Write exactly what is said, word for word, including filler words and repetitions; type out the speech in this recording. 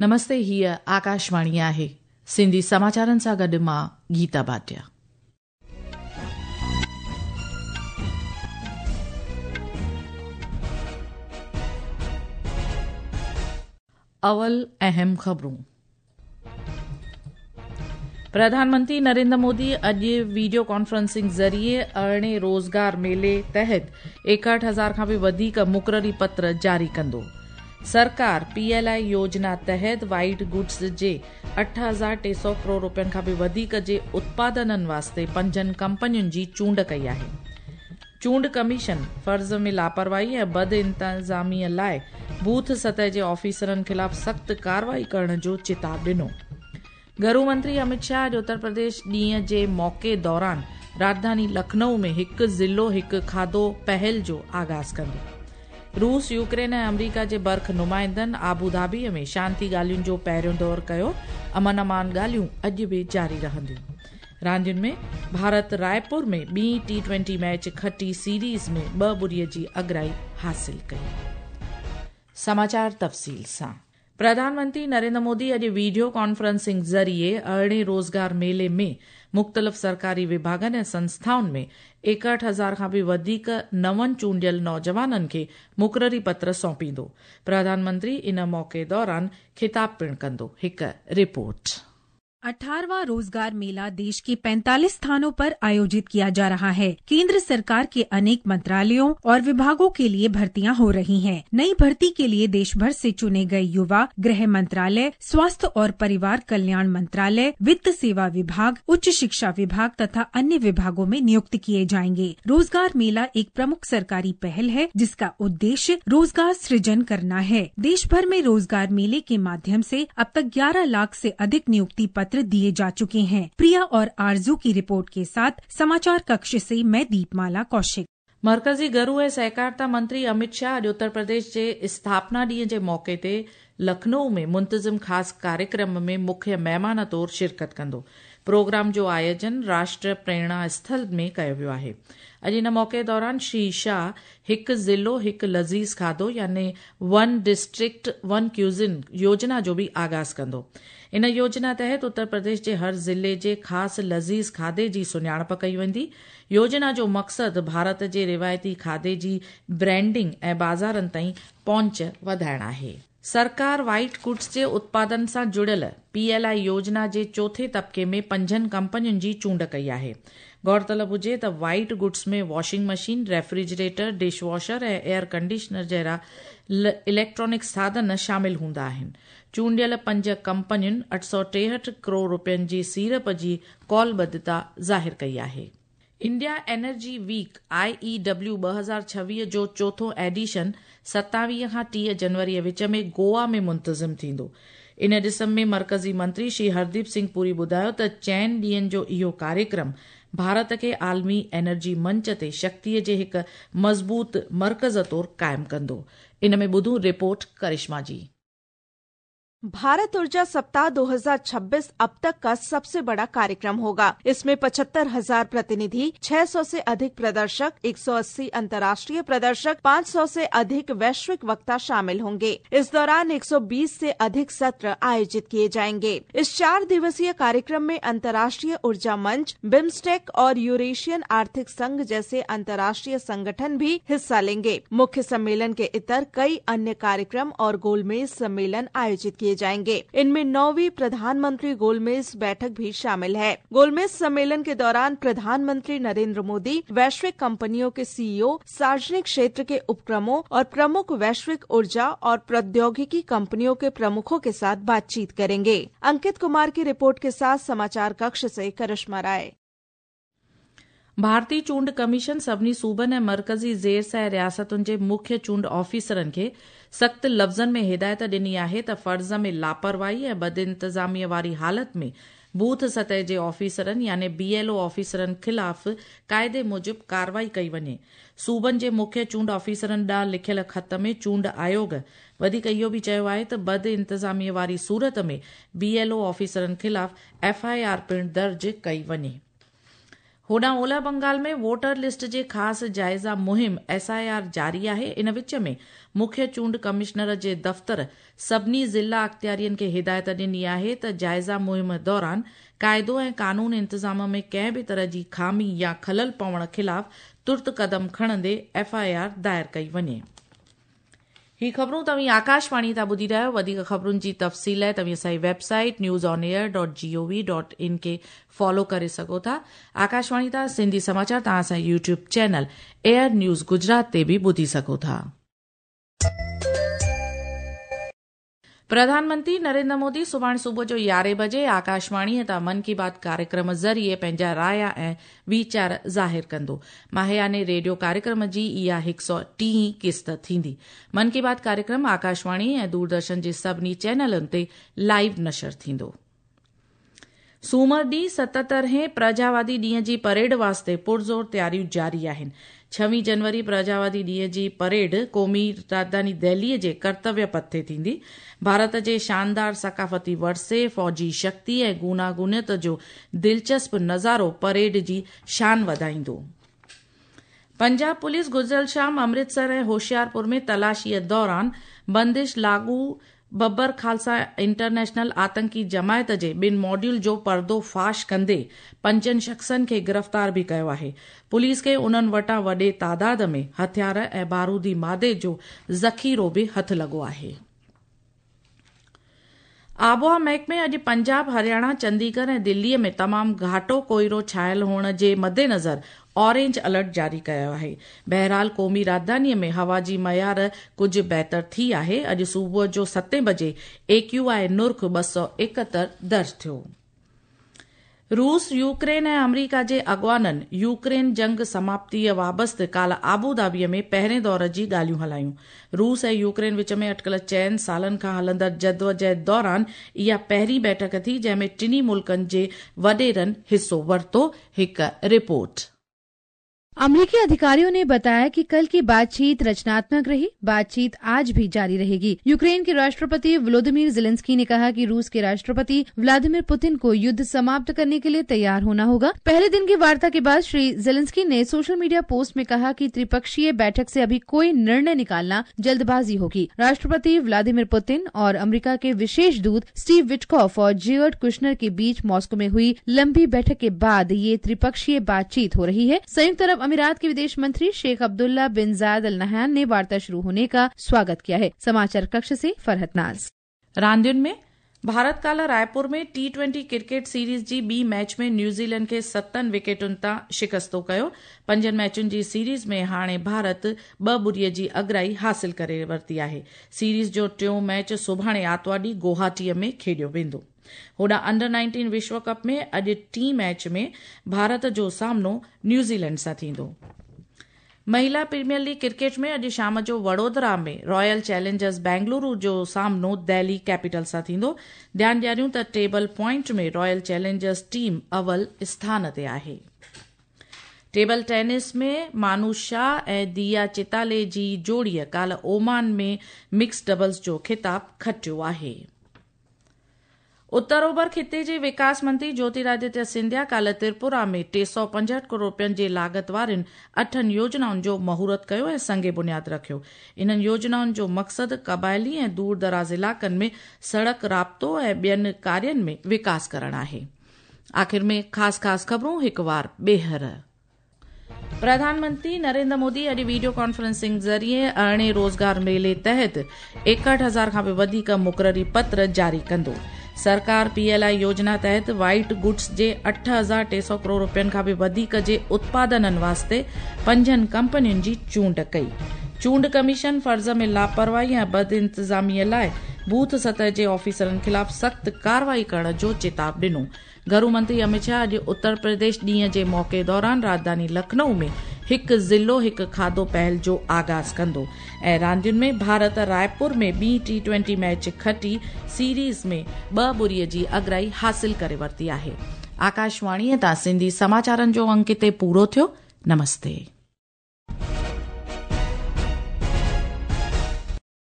नमस्ते, हीअ आकाशवाणी आहे। सिंधी समाचारनि सां गॾु मां गीता भाटिया। अवल अहम ख़बरूं। प्रधानमंत्री नरेंद्र मोदी अॼु वीडियो कॉन्फ्रेंसिंग ज़रिए अरिड़हें रोज़गार मेले तहत एकहठि हज़ार खां बि वधीक मुक़ररी पत्र जारी कंदो। सरकार पीएलआई योजना तहत वाइट गुड्स जे अठ हज़ार टे सौ करोड़ रुपयनि खां बि वधीक जे उत्पादननि वास्ते पंजनि कंपनियुनि जी चूंड कई आहे। चूंड कमीशन फ़र्ज़ में लापरवाही ऐं बद इंतज़ामीअ लाइ बूथ सतह जे ऑफिसरनि ख़िलाफ़ सख़्तु कार्रवाई करण जो चिताव ॾिनो। घरू मंत्री अमित शाह अॼु उत्तर प्रदेश ॾींहं जे मौक़े दौरान राजधानी लखनऊ में हिकु ज़िलो हिकु खाधो पहल जो आगाज़ कंदो। रूस, यूक्रेन ऐं अमरीका जे बर्ख नुमाइंदनि आबू धाबीअ में शांति ॻाल्हियुनि जो पहिरियों दौर कयो। अमन अमान ॻाल्हियूं अॼु बि जारी रहंदियूं। रांदियुनि में भारत रायपुर में ॿी टी ट्वेंटी मैच खटी सीरीज़ में ॿ ॿुड़ीअ जी अगराई हासिल कई। समाचार तफ़सील सां। प्रधानमंत्री नरेंद्र मोदी अॼु वीडियो कॉन्फ्रेंसिंग ज़रिए अरिड़हें रोज़गार मेले में मुख़्तलिफ़ सरकारी विभागनि ऐं संस्थाउनि में एकहठि हज़ार खां बि वधीक नवनि चूंडियल नौजवाननि खे मुक़ररी पत्र सौंपींदो। प्रधानमंत्री इन मौक़े दौरान ख़िताब पिणु कंदो। हिकु रिपोर्ट। अठारहवां रोजगार मेला देश के पैंतालीस स्थानों पर आयोजित किया जा रहा है। केंद्र सरकार के अनेक मंत्रालयों और विभागों के लिए भर्तियां हो रही हैं। नई भर्ती के लिए देश भर से चुने गए युवा गृह मंत्रालय, स्वास्थ्य और परिवार कल्याण मंत्रालय, वित्त सेवा विभाग, उच्च शिक्षा विभाग तथा अन्य विभागों में नियुक्त किए जाएंगे। रोजगार मेला एक प्रमुख सरकारी पहल है जिसका उद्देश्य रोजगार सृजन करना है। देश भर में रोजगार मेले के माध्यम से अब तक ग्यारह लाख से अधिक नियुक्ति पत्र दिए जा चुके हैं। प्रिया और आरजू की रिपोर्ट के साथ समाचार कक्ष से मैं दीपमाला कौशिक। मरकज़ी घरू ऐं सहकारिता मंत्री अमित शाह अॼु उत्तर प्रदेश जे स्थापना ॾींहं जे मौक़े ते लखनऊ में मुंतज़िम ख़ासि कार्यक्रम में मुख्य महिमान तौर शिरकत कंदो। प्रोग्राम जो आयोजन राष्ट्र प्रेरणा स्थल में कयो वियो आहे। अॼु इन मौक़े दौरान श्री शाह हिकु ज़िलो हिकु लज़ीज़ खाधो यानी वन डिस्ट्रिक्ट वन क्यूज़िन योजना जो बि आगाज़ कंदो। इन योजना तहत उत्तर प्रदेश जे हर ज़िले जे ख़ासि लज़ीज़ खाधे जी सुञाणप कई वेंदी। योजना जो मक़सदु भारत जे रिवायती खाधे जी ब्रांडिंग ऐं बाज़ारनि ताईं पहुंच वधाइण आहे। सरकार वाइट गुड्स जे उत्पादन सां जुड़ियल पीएलआई योजना जे चोथे तबके में पंजनि कंपनियुनि जी चूंड कई आहे। गौरतलब हुजे त वाइट गुड्स में washing machine, refrigerator, dish washer ऐं एयर कंडीशनर जहिड़ा इलेक्ट्रॉनिक साधन शामिल हूंदा आहिनि। चूंडियल पंज कंपनियुनि अठ सौ टेहठि करोड़ रुपयनि जी सीड़प जी कौलबद्धता ज़ाहिर कई आहे। India energy week I E W ॿ हज़ार छवीह जो चोथों एडिशन सतावीह खां टीह जनवरीअ विच में गोवा में मुंतज़िम थींदो। इन ॾिस में मरकज़ी मंत्री श्री हरदीप सिंह पुरी ॿुधायो त चइनि ॾींहंनि जो इहो कार्यक्रम भारत खे आलमी एनर्जी मंच ते शक्तिअ जे हिकु मज़बूत मर्कज़ तौर क़ाइमु कंदो। इन में ॿुधूं रिपोर्ट करिश्मा जी। भारत ऊर्जा सप्ताह दो हज़ार छब्बीस अब तक का सबसे बड़ा कार्यक्रम होगा। इसमें पचहत्तर हजार प्रतिनिधि, छह सौ से अधिक प्रदर्शक, एक सौ अस्सी अंतर्राष्ट्रीय प्रदर्शक, पाँच सौ से अधिक वैश्विक वक्ता शामिल होंगे। इस दौरान एक सौ बीस से अधिक सत्र आयोजित किए जाएंगे। इस चार दिवसीय कार्यक्रम में अंतर्राष्ट्रीय ऊर्जा मंच, बिम्स्टेक और यूरेशियन आर्थिक संघ जैसे अंतर्राष्ट्रीय संगठन भी हिस्सा लेंगे। मुख्य सम्मेलन के इतर कई अन्य कार्यक्रम और गोलमेज सम्मेलन आयोजित किए जाएंगे। इनमें नौवीं प्रधानमंत्री गोलमेज बैठक भी शामिल है। गोलमेज सम्मेलन के दौरान प्रधानमंत्री नरेंद्र मोदी वैश्विक कंपनियों के सीईओ, सार्वजनिक क्षेत्र के उपक्रमों और प्रमुख वैश्विक ऊर्जा और प्रौद्योगिकी कंपनियों के प्रमुखों के साथ बातचीत करेंगे। अंकित कुमार की रिपोर्ट के साथ समाचार कक्ष से करिश्मा राय। भारतीय चूंड कमीशन सभिनी सूबनि ऐं मरकज़ी ज़ेर सह रियासतुनि जे मुख्य चूंड ऑफिसरनि खे सख़्तु लफ़्ज़नि में हिदायत ॾिनी आहे त फ़र्ज़ में लापरवाही ऐं बदइंतज़ामीअ वारी हालत में बूथ सतह जे ऑफिसरनि यानी बीएलओ ऑफिसरनि ख़िलाफ़ क़ाइदे मूजिबि कार्रवाई कई वञे। सूबनि जे मुख्य चूंड ऑफिसरनि ॾांहुं लिखियल ख़त में चूंड आयोग वधीक इहो बि चयो आहे त बद इंतज़ामीअ वारी सूरत में बीएलओ ऑफिसरनि ख़िलाफ़ एफ I R पिणु दर्ज कई वञे। होॾां ओलह बंगाल में वोटर लिस्ट जे ख़ासि जाइज़ा मुहिम एस I R जारी आहे। इन विच में मुख्य चूंड कमिश्नर जे दफ़्तर सभिनी ज़िला अख़्तियारियुनि खे हिदायत ॾिनी आहे त जाइज़ा मुहिम दौरान काइदो ऐं कानून इंतज़ाम में कंहिं बि तरह जी ख़ामी या ख़लल पवण ख़िलाफ़ तुर्त क़दम खणंदे एफ I R दायर कई वञे। ही ख़बरूं तव्हीं आकाशवाणी तां ॿुधी रहिया आहियो। वधीक ख़बरुनि जी तफ़सील लाइ तव्हीं असांजी website news on air dot G O V dot in खे फॉलो करे सघो था। आकाशवाणी तां सिंधी समाचार तव्हां असांजे YouTube channel air news Gujarat ते बि ॿुधी सघो था। प्रधानमंत्री नरेंद्र मोदी सुभाणे सुबुह जो यारहें बजे आकाशवाणीअ तां मन की बात कार्यक्रम ज़रिए पंहिंजा राया ऐं वीचार ज़ाहिर कंदो। माहियाने रेडियो कार्यक्रम जी इहा हिकु सौ टीह किस्त थींदी। मन की बात कार्यक्रम आकाशवाणी ऐं दूरदर्शन जे सभिनी चैनलनि ते लाइव नशर थींदो। सूमर ॾींहुं सतहतरहें प्रजावादी ॾींहं जी परेड वास्ते पुरज़ोर तयारियूं जारी आहिनि। छवीह जनवरी प्रजावादी ॾींहं जी परेड क़ौमी राजधानी दिल्लीअ जे कर्तव्य पथ ते थींदी। भारत जे शानदार सकाफ़ती वरसे, फ़ौजी शक्ति ऐं गूनागूनियत जो दिलचस्प नज़ारो परेड जी शान वधाईंदो। पंजाब पुलिस गुज़िरियल शाम अमृतसर ऐं होशियारपुर में तलाशीअ दौरान बंदिश लागू बब्बर खालसा इंटरनेशनल आतंकी जमायत जे ॿिनि मॉड्यूल जो पर्दो फाश कंदे पंजनि शख़्सनि खे गिरफ़्तार बि कयो आहे। पुलिस खे उन्हनि वटां वॾे तादाद में हथियार ऐं बारूदी मादे जो ज़ख़ीरो बि हथु लॻो आहे। आबोहवा महकमे अॼु पंजाब, हरियाणा, चंडीगढ़ ऐं दिल्लीअ में तमामु घाटो कोइरो छायल हुअण जे मद्देनज़र ऑरेंज अलर्ट जारी कयो आहे। बहरहाल क़ौमी राजधानीअ में हवा जी मयार कुझु बहितर थी आहे। अॼु सुबुह जो सतें बजे ए क्यू I नुर्ख़ ॿ सौ एकहतरि दर्ज थियो। रूस, यूक्रेन ऐं अमरीका जे अॻवाननि यूक्रेन जंग समाप्तीअ वाबस्ते काल्ह आबूधाबीअ में पहिरें दौर जी ॻाल्हियूं हलायूं। रूस ऐं यूक्रेन विच में अटकल चइनि सालनि खां हलंदड़ जदोजहद दौरान इहा पहिरीं बैठक थी जंहिंमें टिन्ही मुल्कनि जे वॾेरनि हिसो वरितो। हिकु रिपोर्ट। अमरीकी अधिकारियों ने बताया कि कल की बातचीत रचनात्मक रही। बातचीत आज भी जारी रहेगी। यूक्रेन के राष्ट्रपति वोलोदिमीर ज़ेलेंस्की ने कहा कि रूस के राष्ट्रपति व्लादिमीर पुतिन को युद्ध समाप्त करने के लिए तैयार होना होगा। पहले दिन की वार्ता के बाद श्री ज़ेलेंस्की ने सोशल मीडिया पोस्ट में कहा कि त्रिपक्षीय बैठक से अभी कोई निर्णय निकालना जल्दबाजी होगी। राष्ट्रपति व्लादिमीर पुतिन और अमरीका के विशेष दूत स्टीव विटकॉफ और जेयर्ड कुशनर के बीच मॉस्को में हुई लंबी बैठक के बाद ये त्रिपक्षीय बातचीत हो रही है। संयुक्त अरब अमीरात के विदेश मंत्री Sheikh Abdullah bin Zayed Al Nahyan ने वार्ता शुरू होने का स्वागत किया है। समाचार कक्ष से फरहत नाज। रांदियुनि में भारत काल्ह रायपुर में टी ट्वेंटी क्रिकेट सीरीज़ जी ॿी मैच में न्यूज़ीलैंड खे सतनि विकेटुनि तां शिकस्तो कयो। पंजनि मैचुनि जी सीरीज़ में हाणे भारत ॿ ॿुड़ीअ जी अगराई हासिल करे वरिती आहे। सीरीज़ जो टियों मैच सुभाणे आतिवार ॾींहुं गुवाहाटीअ में खेॾियो वेंदो। होॾां अंडर नाइनटीन विश्व कप में अॼु टीं मैच में भारत जो सामनो न्यूज़ीलैंड सां थींदो। महिला प्रीमियर लीग क्रिकेट में अॼु शाम जो वडोदरा में रॉयल चैलेंजर्स बेंगलुरु जो सामनो दिल्ली कैपिटल सां थींदो। ध्यानु ॾियारियूं त टेबल पॉइंट में रॉयल चैलेंजर्स टीम अव्वल स्थान ते आहे। टेबल टेनिस में मानू शाह ऐं दिया चिताले जी जोड़ीअ काल्ह ओमान में मिक्स डबल्स जो ख़िताब खटियो आहे। उत्तर ओभर खिते जे विकास मंत्री ज्योतिरादित्य सिंधिया काल्ह त्रिपुरा में टे सौ पंजहठि करोड़ रुपयनि जे लागत वारियुनि अठनि योजनाउनि जो मुहूर्त कयो ऐं संग बुनियाद रखियो। इन्हनि योजनाउनि जो मक़सदु क़बाइली ऐं दूर दराज़ इलाइक़नि में सड़क राब्तो ऐं ॿियनि कार्यनि में विकास करणु आहे। आख़िर में ख़ासि ख़ासि ख़बरूं हिकु वार ॿीहर। प्रधानमंत्री नरेंद्र मोदी अॼु वीडियो कॉन्फ्रेंसिंग ज़रिए अरिड़हें रोज़गार मेले तहत एकहठि हज़ार खां बि वधीक मुक़ररी पत्र जारी कंदो। सरकार पीएलआई योजना तहत वाइट गुड्स जे अठ हज़ार टे सौ करोड़ रुपयनि खां बि वधीक जे उत्पादननि वास्ते पंजनि कंपनियुनि जी चूंड कई। चूंड कमीशन फ़र्ज़ में लापरवाही ऐं बदइंतज़ामीअ लाइ बूथ सतह जे ऑफिसरनि ख़िलाफ़ सख़्तु कार्रवाई करण जो चेताव ॾिनो। घरू मंत्री अमित शाह अॼु उत्तर प्रदेश ॾींहं जे मौक़े दौरान राजधानी लखनऊ में हिकु ज़िलो हिकु खाधो पहल जो आगाज़ कंदो। ऐं रांदियुनि में भारत रायपुर में ॿी टी ट्वेंटी मैच खटी सीरीज़ में ॿ ॿुड़ीअ जी अगराई हासिल करे वरिती आहे। आकाशवाणीअ तां सिंधी समाचारनि जो अंक हिते पूरो थियो। नमस्ते।